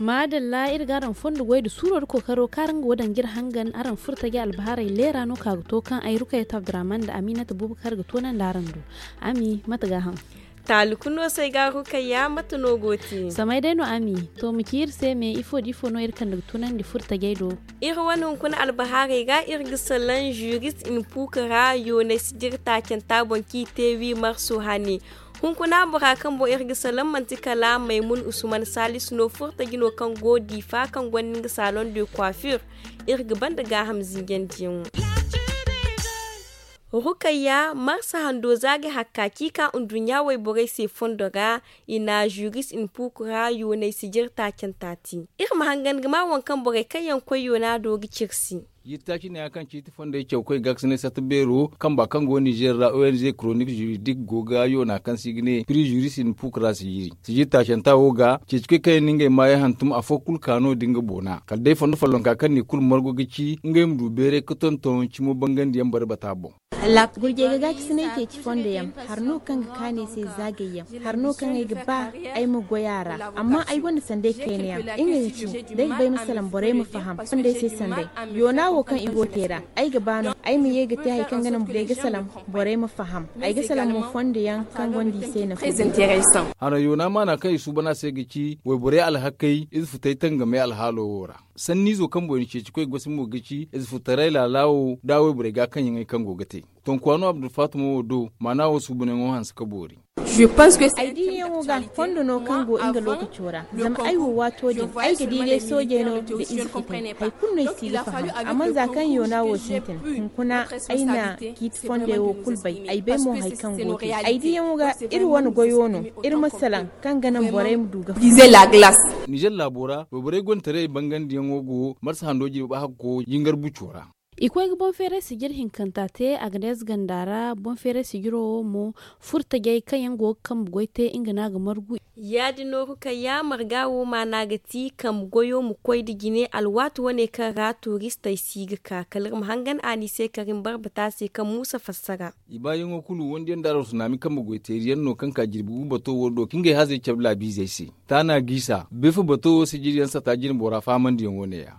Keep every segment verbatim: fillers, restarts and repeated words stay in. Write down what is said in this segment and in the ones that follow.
Maadalla, iri ga araŋ fondo goy nda suuro nda kookaro kaŋ araŋ ga wo daŋ ga iri hangan araŋ furo taji albahaarey leera no ka ga to kaŋ ay rukayat abdurahman nda aminata bubakar ga toonandi araŋ do. Ami, mate ga haŋ? Taali kulu no se ay ga rukayya, mate no go te? Samay day no ami. To, ma ci iri se me ifo nda ifo no iri kande ga toonandi furo tajey do? Iri wane hunkuna albahaarey ra iri ga salaŋ juris in puuka ra yoonay sijiri taacanta boŋ kaŋ i te wi marso hane. Hunkuna bora kaŋ boŋ iri ga salaŋ manti kala maymun usman salisu no furtaji no kaŋ go diifa kaŋ gonda nga salon de coiffure. Iri ga banda gaaham zinjandiyaŋo. Rukayya marsa hando za ga hakka kaŋ i ka nduɲɲa wayborey se fondo ra. I na juris in puuku ra yoonay sijiri taacanta te. Iri ma hangan ga ma waŋ kaŋ borey kaŋ yaŋ koy yoona do ga ciri se. Jirtaaci neeya kaŋ ciiti fondey cawkoy ga ga si ne sata beero kamba kaŋ go nizer ra ong kronik juridik go ga yoona kaŋ se i ga ne piri juris in puuku ra sijiri sijiri taacanta wo ga ceecikoy kaŋ yaŋ na ngey maayey hantum afo kulu ka no da nga boona kala day fondo follonka kaŋ ne kulu margu ga ci ngey ma du beeray ga tonton cimo bangandi yaŋ bare bata boŋ. Gurjey ga gaacisinay ceeci fondo yaŋ hari no kaŋ ga kaanu ay se zaagay yaŋ hari no kaŋ ay ga ba ay ma goy a ra. Amma ay gonda sanday kayna yaŋ nga ga ci da ay ga ba ay ma salaŋ borey ma faham fondey se sanday. Yoona wo kaŋ i go te ra ay ga ba no ay ma ye ga te hari kaŋ ga naŋ borey ga salaŋ borey ma faham. Ay ga salaŋ mo fondo yaŋ kaŋ gonda i se nafa. Hara yoona maana kaŋ i suuban a se ga ci wayborey alhakey ize futey tangamey alhaalo wo ra. Sanniizo kaŋ boŋ i na ceeci koy gosi mo ga ci ize futaray laala wo da wayborey ga kaŋ yaŋey kaŋ go ga te. Tonkuwa no abdulfatima wo do maana wo suubanyaŋo hanse ka boori. Ay diiyaŋo ga fondo no kaŋ go nga lookaco ra. Zama ay wo waato din ay ga di day soojey no nda ize futay hari kulu no ay si ga faham. Amma za kaŋ yoona wo sintin hunkuna ay na ciiti fondey wo kulu bay ay bay mo hari kaŋ go te. Ay diiyaŋo ga iri wane goyo no iri ma salaŋ kaŋ ga naŋ borey ma du ga faham. Nizer laabo ra wayborey gonda taray bangandiyaŋo go marsa hando jirbi hakko jingar buco ra. I koy ga boŋ feeray sijir hinkanta te a ga deeza ganda ra boŋ feeray sijiro wo mo furtajey kaŋ yaŋ go ga kambe goy te nga no a ga margu. Ya- din no rukayya marga wo maana ga ti kambe goyo ma koy nda jine alwaati wane kaŋ ra turistey si ga ka kala iri ma hangan a ni se karim barbata se kaŋ muusa fassara. I baayaŋo kulu wondiyaŋ nda araw sunaami kambe goy teeriyaŋ no kaŋ ka jirbi gu bato wo do ka ngey hazey cabe laabiizey se. Taana giisa beefa bato wo sijiriyaŋ sata jine bora fahamandiyaŋo ne- ya.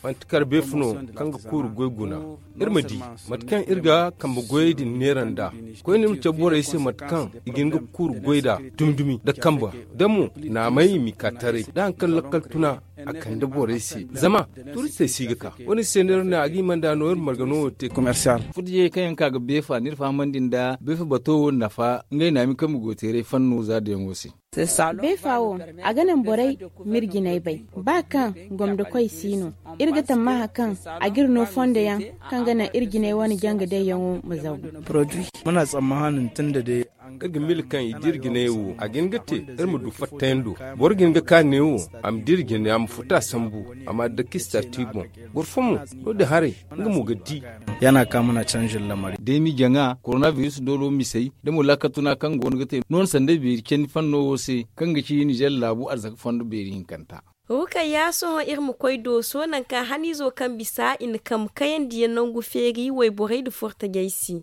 Manti kar beefa no kaŋ ga kuuru goy guna. Iri ma di mate kaŋ iri ga kambe goyey din neera nd'a. Koyne iri ma cabe borey se mate kaŋ i ga hin ga kuuru goy nd'a dumi-dumi nda kambe da mo naamay m'i ka taray da hari kaŋ lakkal tuna a kande borey se. Zama turistey si ga ka wo-din se no iri ne a ga hima nd'a no iri marga no wo te. Furtajey kaŋ yaŋ ka ga beefa no iri fahamandi nda beefa bato wo nafa ngey naami kambe goy teeray fanno za dayaŋo se. Beefa wo a ga naŋ borey m'iri jinay bay. Ba kaŋ gomda koy si no iri ga tammaaha kaŋ a g'iri no fondo yaŋ kaŋ ga naŋ iri jinay wane janga dayyaŋo ma zagu. Iri ga miila kaŋ i da iri jinay wo a ga hin ga te iri ma du fattayando. Boro ga hin ga ka ne wo a ma da iri jinay a ma futa sambu a ma a dake stati boŋ. Boro fo mo no- din haray nga mo ga di. Yana ka mana canjin lamari. Day m'i jaŋa koronabiris doolo misey da mo laakal tuna kaŋ go no ga te nooni sanday beeri candi fanno wo se kaŋ ga ci nizer laabu arzaka fondo beeri hinkanta. Rukayya sohõ iri ma koy dooso nangu kaŋ haniizo kaŋ bisa i na kambe kayandiyaŋ nangu feeri wayborey nda furtajey se.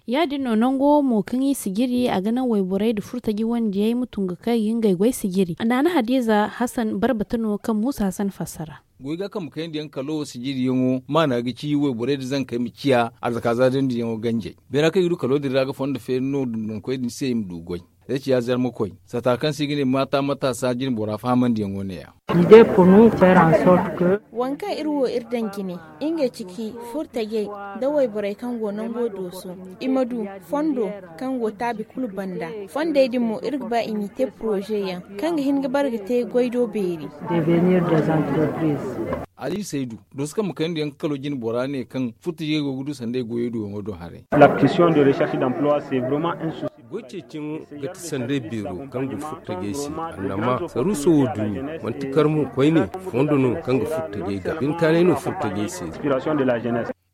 Ya- din no nango wo mo kaŋ i sijiri a ga naŋ wayborey nda furtaji wandiyey ma tun ga kay ga ngey goy sijiri naana hadiiza hasan barbata no kaŋ muusa hasan fassara. Goy ga kambe kayandiyaŋ kalo sijiriyaŋo maana ga ci wayborey nda zankey ma ciya arzaka zaadindiyaŋo ganjey. Beera kaŋ i ga du kalo din ra ga fondo feeri no dundunkoy din se i ma du goy. Day ciya zarmakoy sata kaŋ se i ga ne maata mataasa jinbora fahamandiyaŋo ne- ya. Waŋ kaŋ iri wo iri daŋ jine ngey ciki furtajey nda wayborey kaŋ go nango dooso i ma du fondo kaŋ go taabi kulu banda. Fondey din mo iri ga ba i m'i te poroze yaŋ kaŋ ga hin ga bare ga te goy do beeri. Ali saydu dooso kaŋ ma kayandi yaŋ ga kalo jinbora ne kaŋ furtajey go ga du sanday goyey duyaŋo do haray. Goy ceeciyaŋo ga ti sanday beero kaŋ go furtajey se annama saruuso wo dumi manti kar mo koyne fondo no kaŋ ga furtajey ga binkaanay no furtajey se.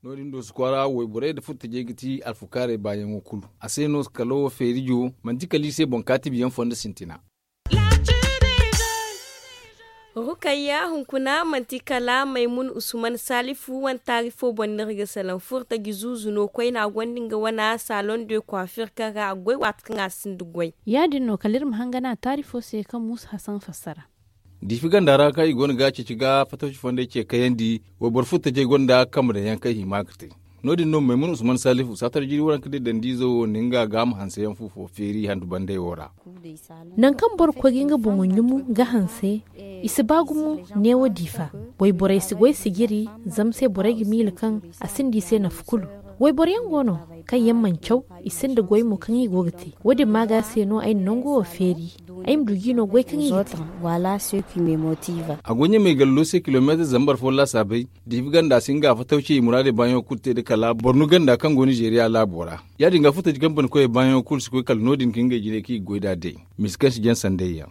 No- din do si kwaara wayborey nda furtajey ga ti alfukaarey baayaŋo kulu a se no kalo wo feerijo manti kala i se boŋ kaatibiyaŋ fondo sintina. Rukayya hunkuna manti kala maymun usman salifu wane taari fo boŋ no iri ga salaŋ furtaji zuuzu no koyne a gonda nga wane salon de coiffure kaŋ ra a ga goy waati kaŋ a sinda goy. Ya- din no kala iri ma hangan a taari fo se kaŋ muusa hasan fassara. Diifi ganda ra kaŋ i go no ga ceeci ga fatawci fondey ce kayandi, wayboro furtajey gonda kambe daŋ yaŋ kaŋ i hima ga te. No- din no maymuna usman salifu saatar jiiri waranka day dandiizo wo na nga gaaham hanse yaŋ fu fo feeri handu bandey wo ra. Nangu kaŋ boro ga koy ga nga boŋo ɲumu ga hanse, i si ba gumo. Neewo diifa, wayborey si goy sijiri. Zama se borey ga miila kaŋ a sinda i se nafa kulu. Wayboro yaŋ go no kaŋ yaŋ mana caw, i sinda goy mo kaŋ i go ga te. Wo- din maaga se no ay na nango wo feeri. Ay ma du jiino goy kaŋ i ga te. A go ɲamay gallo se kilomeetir zambar fo laasaabay. Diifi ganda si nga fatawci i muraadey baayaŋo kulu te nda kala borno ganda kaŋ go nizeeriya laabo ra. Ya- din ga furtaji kaŋ bana koyey baayaŋo kulu si koy kala no- din ka ngey jinay kaŋ i ga goy nd'a day. Misi kaŋ si jaŋ sanday yaŋ.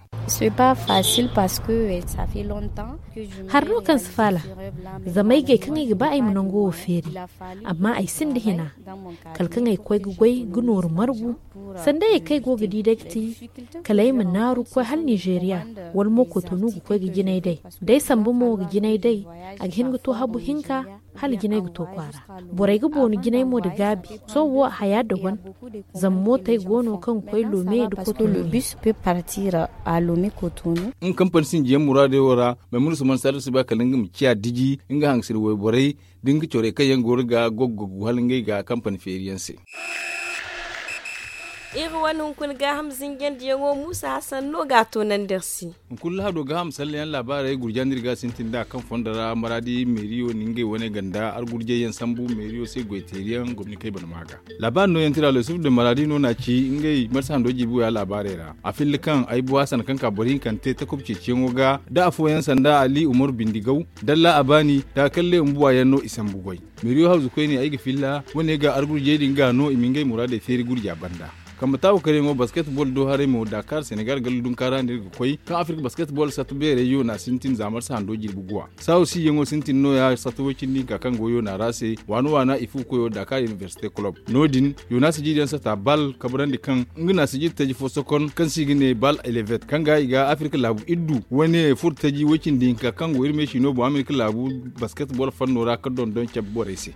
Hari no kaŋ si faala, zama ay gay kaŋ ay ga ba ay ma nango wo feeri. Amma ay sinda hina, kala kaŋ ay koy ga goy ga nooru margu. Sanda ay kaŋ ay go ga di day ga ti, kala ay ma naaru ga koy hala nizeeriya, wala mo kotonu ga koy ga jinay day. Day sambu mo ga jinay day, a ga hin ga to habu hinka, hala jinay ga to kwaara. Borey ga boonu jinay mo nda gaabi. Sohõ wo haya da wan, zama mootey go no kaŋ ga koy loome nda kotonu. Nga kampani sinjiyaŋ muraadey wo ra, maymuna usman salifu si ba kala nga ma ciya diji nga hangasir wayborey, da nga corey kaŋ yaŋ go ga goggogu hala ngey ga kampani feeri yaŋ se. Iri wane hunkuna gaaham zinjandiyaŋo muusa hasan no ga a toonandi iri se. Hunkuna lahado gaaham sallayaŋ laabaarey gurja no iri ga a sintin nd'a kaŋ fondo ra maraadi meeriyo na ngey wane ganda argurjayyaŋ sambu meeriyo se goyteeriyaŋ gomni kaŋ i bana maa ga. Laabaari nooyaŋ tira lo yusuf de maraadi no n'a ci ngey marsa hando jiibi waya laabaarey ra a filla kaŋ ay bu hasan kaŋ ka boro hinkante takob ceeciyaŋo ga da afooyaŋ sanda ali umaru bindigaw, dalla a baani da kalle mbuwa yaŋ no i sambu goy. Meeriyo hawzu koyne ay ga filla wane ga argurjey din ga no i ma ngey muraadey feeri gurja banda. Kambe taawu karyaŋo basketball do haray mo dakar senegal galla dunkaara no iri ga koy kaŋ afirka basketball satu beerey yoona sintin za marsa hando jirbi guwa. Saawo siyaŋo sintin nooya sata way cindi hinka kaŋ go yoona ra se waana waana i fu koyo dakar université club. No- din yoona sijiriyaŋ sata bal kabrandi kaŋ nga na sijiri taji fo sokon kaŋ se i ga ne bal elevet kaŋ ga i ga afirka laabu iddu wane furo taji way cindi hinka kaŋ go iri meesi no boŋ amerika laabu basketball fanno ra ka dondon cabe borey se.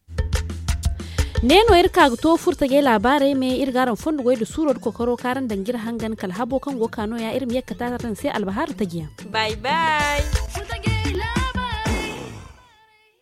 Ne no iri ka ga to furo tajey laabaarey me iri ga araŋ fondo goy nda suuro nda kokoro kaŋ araŋ daŋ ga iri hangan kala habo kaŋ go ga ka nooya iri ma ye ga kate araŋ se albahar tajiyaŋ. Bay bay.